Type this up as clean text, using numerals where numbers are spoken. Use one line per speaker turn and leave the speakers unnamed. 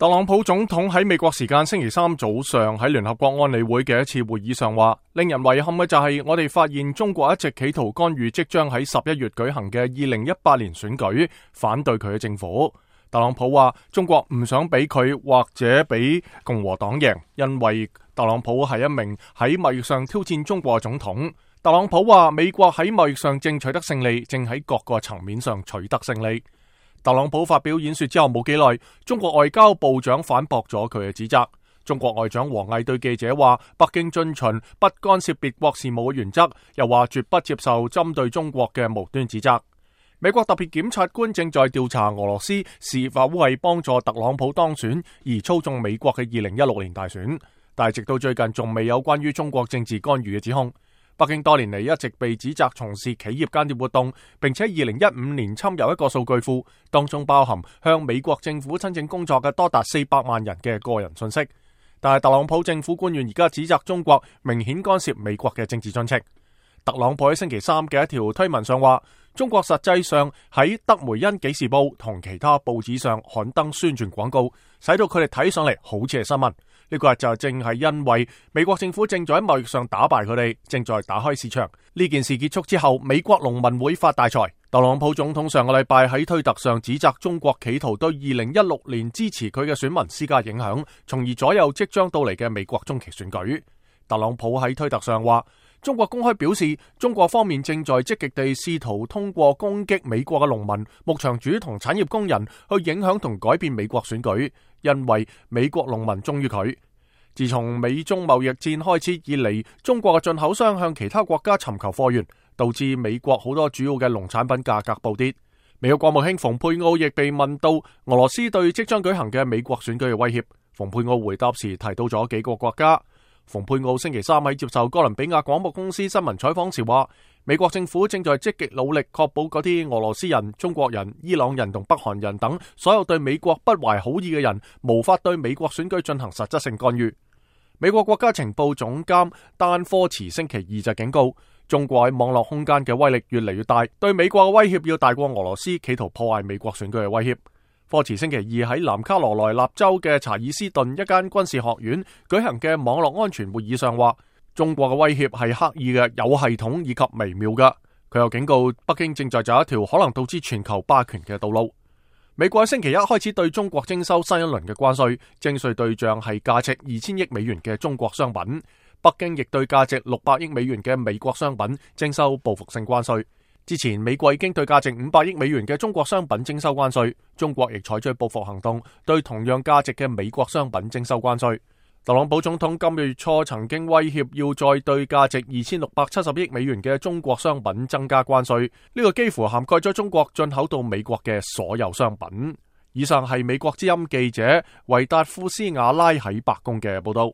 特朗普總統喺美國時間星期三早上喺聯合國安理會嘅一次會議上話，令人遺憾嘅就係我哋發現中國一直企圖干預即將喺11月舉行嘅2018年選舉，反對佢嘅政府。特朗普話中國唔想俾佢或者俾共和黨贏，因為特朗普係一名喺貿易上挑戰中國嘅總統。特朗普話美國喺貿易上正取得勝利，正喺各個層面上取得勝利。特朗普發表演說之後冇幾耐，中國外交部長反駁咗佢嘅指責。中國外長王毅對記者話，北京遵循不干涉別國事務嘅原則，又話絕不接受針對中國嘅無端指責。美國特別檢察官正在調查俄羅斯是否為幫助特朗普當選而操縱美國嘅2016年大選，但係直到最近仲未有關於中國政治干預嘅指控。北京多年嚟一直被指責從事企業間諜活動，並且2015年侵入一個數據庫，當中包含向美國政府申請工作嘅多達400萬人嘅個人信息。但係特朗普政府官員而家指責中國明顯干涉美國嘅政治進程。特朗普喺星期三嘅一條推文上話，中國實際上喺德梅恩紀事報同其他報紙上刊登宣傳廣告，使到佢哋睇上嚟好似係新聞。呢個就正係因為美國政府正在喺貿易上打敗佢哋，正在打開市場。呢件事結束之後，美國農民會發大財。特朗普總統上個禮拜喺推特上指責中國企圖對2016年支持佢嘅選民施加影響，從而左右即將到嚟嘅美國中期選舉。特朗普喺推特上話，中國公開表示，中國方面正在積極地試圖通過攻擊美國嘅農民、牧場主同產業工人去影響同改變美國選舉，因為美國農民忠於佢。自從美中貿易戰開始以嚟，中國嘅進口商向其他國家尋求貨源，導致美國好多主要嘅農產品價格暴跌。美國國務卿蓬佩奧亦被問到俄羅斯對即將舉行嘅美國選舉嘅威脅，蓬佩奧回答時提到咗幾個國家。蓬佩奧星期三喺接受哥倫比亞廣播公司新聞採訪時話，美國政府正在積極努力確保嗰啲俄羅斯人、中國人、伊朗人同北韓人等所有對美國不懷好意嘅人，無法對美國選舉進行實質性干預。美國國家情報總監丹科茨星期二就警告，中國喺網絡空間嘅威力越嚟越大，對美國嘅威脅要大過俄羅斯企圖破壞美國選舉嘅威脅。科茨星期二喺南卡羅來納州嘅查爾斯頓一間軍事學院舉行嘅網絡安全會議上話，中國嘅威脅係刻意嘅、有系統以及微妙嘅。佢又警告北京正在走一條可能導致全球霸權嘅道路。美國喺星期一開始對中國徵收新一輪嘅關稅，徵稅對象係價值2000億美元嘅中國商品。北京亦對價值600億美元嘅美國商品徵收報復性關稅。之前美國已經對價值500億美元嘅中國商品徵收關稅，中國亦採取報復行動，對同樣價值嘅美國商品徵收關稅。特朗普總統今個月初曾經威脅要再對價值2670億美元嘅中國商品增加關稅，呢個幾乎涵蓋咗中國進口到美國嘅所有商品。以上係美國之音記者維達夫斯瓦拉喺白宮嘅報道。